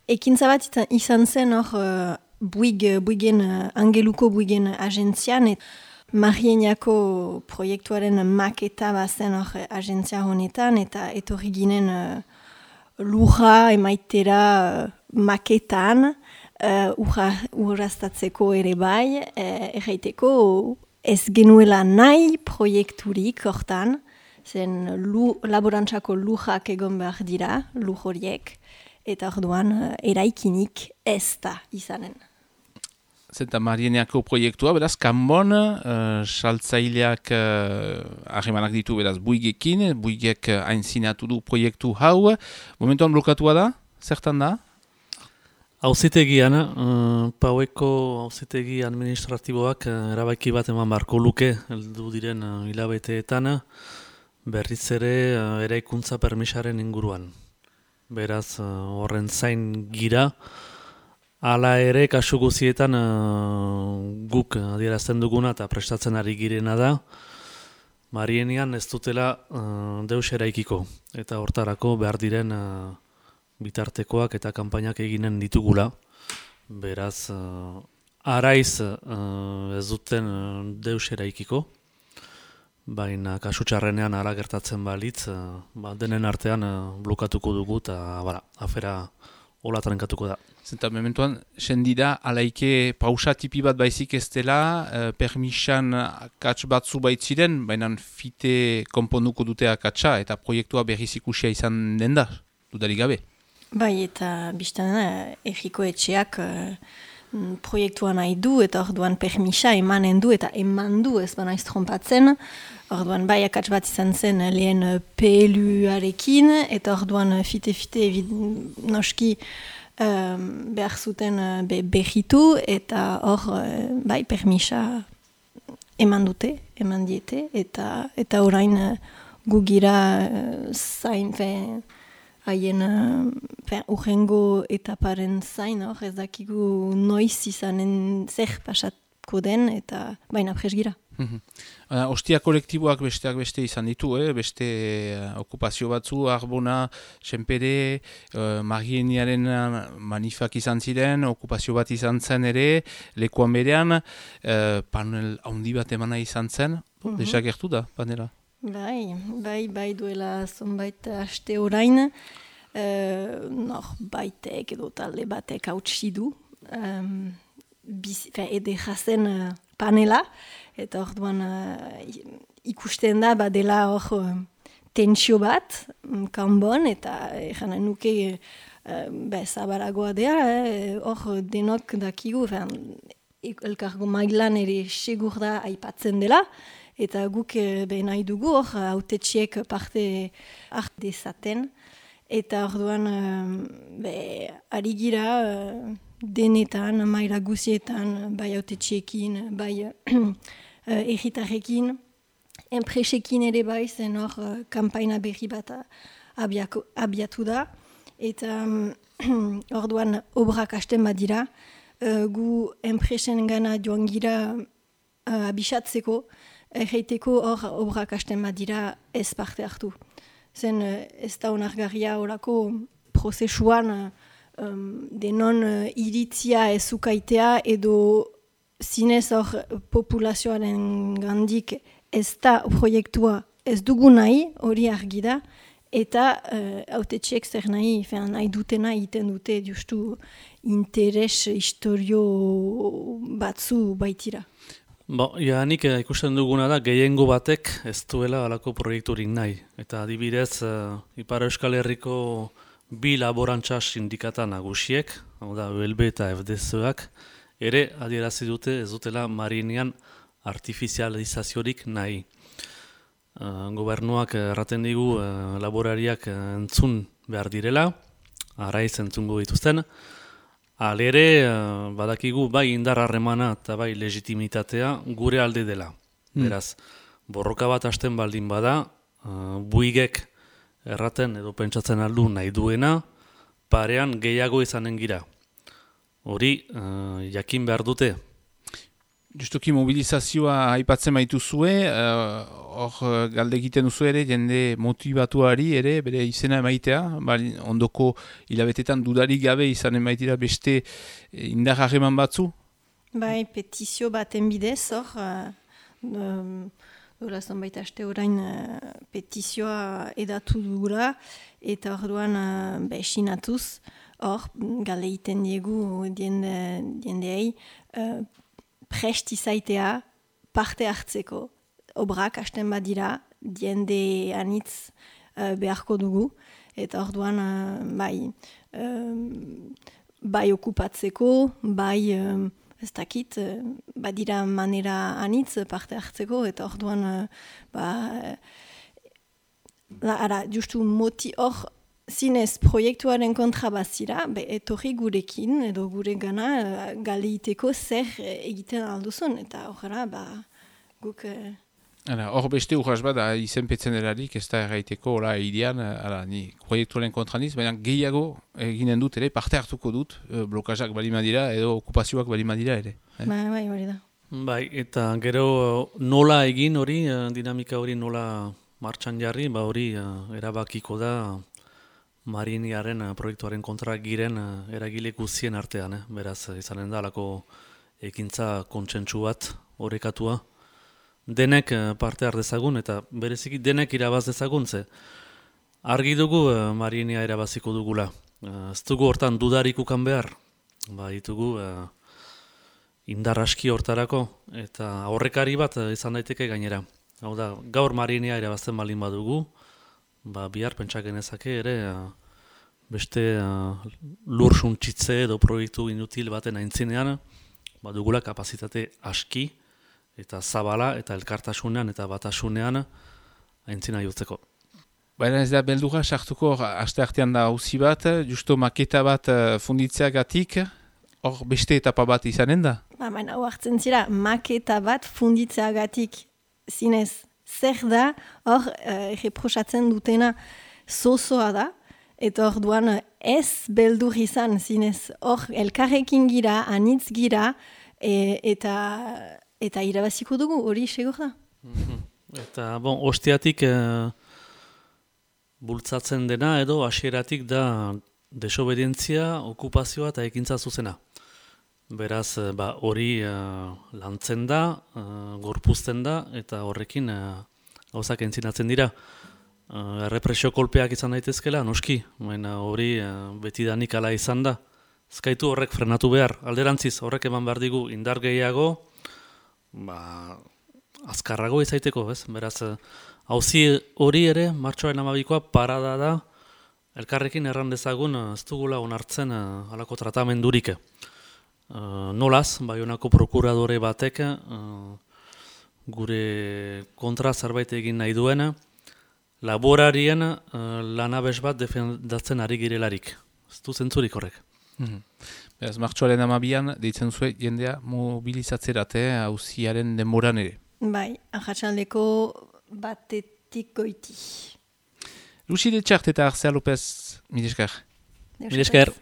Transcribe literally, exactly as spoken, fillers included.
ekintza bat izan- izan zen hor uh, buig, buigen, uh, angeluko buigen agentzian, et Marieniako proiektuaren maketa bazen hor agentzia honetan, eta etorri ginen uh, lurra emaitera uh, maketan, uh, urra, urraztatzeko ere bai, uh, erraiteko ez genuela nahi proiekturik hortan, zen lu, laborantzako lujak egon behar dira, luj horiek, eta orduan uh, eraikinik ez da izanen. Zenta Marieniako proiektua, beraz, kanbon, uh, saltzaileak harremanak uh, ditu, beraz, buigekin, buigek uh, hainzinatu du proiektu hau. Momentuan blokatua da? Zertan da? Auzitegian, uh, paueko auzitegi administratiboak uh, erabaki bat eman barko luke, heldu diren uh, hilabeteetan, berriz ere uh, eraikuntza permisaren inguruan. Beraz, uh, horren zain gira, hala ere, kasu guzietan uh, guk adierazten duguna eta prestatzen ari girena da, Marienian ez dutela uh, deus eraikiko, eta hortarako behar diren uh, bitartekoak eta kanpainak eginen ditugula. Beraz, uh, araiz uh, ez duten uh, deus eraikiko, baina kasu txarrenean ara gertatzen balitz, uh, ba, denen artean uh, blokatuko dugu eta bara, afera hola trenkatuko da. Zenta, mementuan, sendida, alaike pausa tipi bat baizik ez dela, eh, permisan akats batzu baitziren, baina fite konponduko dute akatsa, eta proiektua berriz ikusia izan den da, dudarik gabe. Bai, eta biztan erriko etxeak uh, proiektua nahi du, eta orduan permisa emanen du, eta eman du ez banaiz trompatzen. Orduan bai akats bat izan zen lehen P L U-arekin, eta orduan fite-fite noski um, behar zuten uh, be, behitu, eta hor uh, bai permisa eman dute, eman diete, eta, eta orain uh, gugira uh, zain, fe, haien uh, urrengo etaparen zain, hor ez dakigu noiz izanen zer pasatko den, eta baina presgira. Uh, ostia kolektiboak besteak beste izan ditu, eh? beste uh, okupazio batzu, Arbona, Senpere, uh, Marieniaren manifak izan ziren, okupazio bat izan zen ere, lekuan berean, uh, panel handi bat emana izan zen, uh -huh. desagertu da, panela. Bai, bai, bai duela zonbait aste orain, uh, nor baitek edo talde batek hautsi du, um, ede jazen uh, panela, eta orduan uh, ikusten da badela hor uh, tentsio bat, um, kanbon, eta egan nuke uh, be, zabaragoa dea, hor eh, denok dakigu, elkargo mailan ere segur da aipatzen dela, eta guk uh, be nahi dugu hor hautetxiek parte hart dezaten, eta orduan uh, be, ari gira uh, denetan, maila guzietan, bai hautetxiekin, bai uh, egitarrekin, enpresekin ere bai, zen hor uh, kampaina berri bat abiako, abiatu da, eta um, orduan obrak hasten badira, uh, gu enpresen gana joan gira uh, abisatzeko, erreiteko hor obrak hasten badira ez parte hartu. Zen uh, ez da onargarria horako prozesuan uh, um, denon uh, iritzia ez ukaitea edo zinez hor populazioaren gandik ez da proiektua ez dugu nahi, hori argi da, eta hautetxeek uh, zer nahi, fean, nahi dutena egiten dute justu interes historio batzu baitira. Bo, ja, nik ikusten duguna da, gehiengo batek ez duela alako proiekturik nahi. Eta adibidez, uh, Ipar Euskal Herriko bi laborantza sindikata nagusiek, hau da, U L B eta F D Z-ak, ere adierazi dute ez dutela Marienian artifizializaziorik nahi. Uh, gobernuak erraten digu uh, laborariak uh, entzun behar direla, araiz entzungo dituzten, alere uh, badakigu bai indar harremana eta bai legitimitatea gure alde dela. Mm. Beraz, borroka bat hasten baldin bada, uh, buigek erraten edo pentsatzen aldu nahi duena, parean gehiago izanen gira. Hori, uh, jakin behar dute. Justuki mobilizazioa aipatzen baituzue, hor uh, galde egiten duzu ere, jende motivatuari ere, bere izena emaitea, bari, ondoko hilabetetan dudarik gabe izan emaitira beste indar harreman batzu? Bai, petizio baten bidez, hor, uh, dola zonbait aste orain uh, petizioa edatu dugula, eta orduan uh, besinatuz, hor, galde egiten diegu diende, diendeei, uh, prest izaitea parte hartzeko. Obrak hasten badira, diende anitz uh, beharko dugu, eta orduan uh, bai, um, bai okupatzeko, bai, um, ez dakit, uh, badira manera anitz parte hartzeko, eta orduan, uh, ba, uh, ara, justu moti hor, zinez proiektuaren kontra bazira, be, etorri gurekin edo gure gana uh, galeiteko zer egiten alduzun, eta horrela, ba, guk... Uh... Hor beste urras bat, izenpetzen erarik, ez da erraiteko, hola, idean, ala, ni proiektuaren kontra niz, baina gehiago eginen dut ere, parte hartuko dut, blokazak balima dira, edo okupazioak balima dira ere. Eh? Bai, bai, hori da. Bai, eta gero nola egin hori, dinamika hori nola martxan jarri, ba hori erabakiko da, Mariniaren uh, proiektuaren kontra giren uh, eragile guztien artean, eh? Beraz, izanen da, alako ekintza kontsentsu bat orekatua. Denek uh, parte har dezagun, eta bereziki denek irabaz dezagun, ze argi dugu uh, Marinia irabaziko dugula. Uh, ez dugu hortan dudarik ukan behar, ba, ditugu uh, indar aski hortarako, eta aurrekari bat uh, izan daiteke gainera. Hau da, gaur Marinia irabazten balin badugu, ba, bihar pentsak genezake ere uh, beste uh, lur suntsitze edo proiektu inutil baten aintzinean, ba, dugula kapazitate aski eta zabala eta elkartasunean eta batasunean aintzina jotzeko. Baina ez da beldurra sartuko, aste artean da auzi bat, justo maketa bat uh, funditzeagatik, hor beste etapa bat izanen da? Ba, baina hartzen zira, maketa bat funditzeagatik zinez. Zer da, hor, uh, reprosatzen dutena zozoa da, eta hor duan ez beldur izan zinez. Hor, elkarrekin gira, anitz gira, e, eta, eta irabaziko dugu, hori segur da. Mm-hmm. Eta, bon, ostiatik uh, bultzatzen dena, edo hasieratik da desobedientzia, okupazioa eta ekintza zuzena. Beraz, ba, hori uh, lantzen da, uh, gorpuzten da, eta horrekin gauzak uh, entzinatzen dira. Uh, errepresio kolpeak izan daitezkela, noski, baina hori uh, betidanik ala izan da. Ezkaitu horrek frenatu behar, alderantziz, horrek eman behar digu indar gehiago, ba, azkarrago izaiteko, ez? Beraz, hauzi uh, hori ere, martxoaren amabikoa parada da, elkarrekin erran dezagun, ez dugula onartzen uh, alako tratamendurik. Uh, nolaz, Baionako prokuradore batek uh, gure kontra zerbait egin nahi duena, laborarien uh, lanabes bat defendatzen ari girelarik. Ez du zentzurik horrek. Mm-hmm. Beraz, martxoaren amabian, deitzen zuen jendea mobilizatzerat, auziaren denboran ere. Bai, arratsaldeko batetik goiti. Lucy de Txart eta Arcea López, mil esker. Mil esker.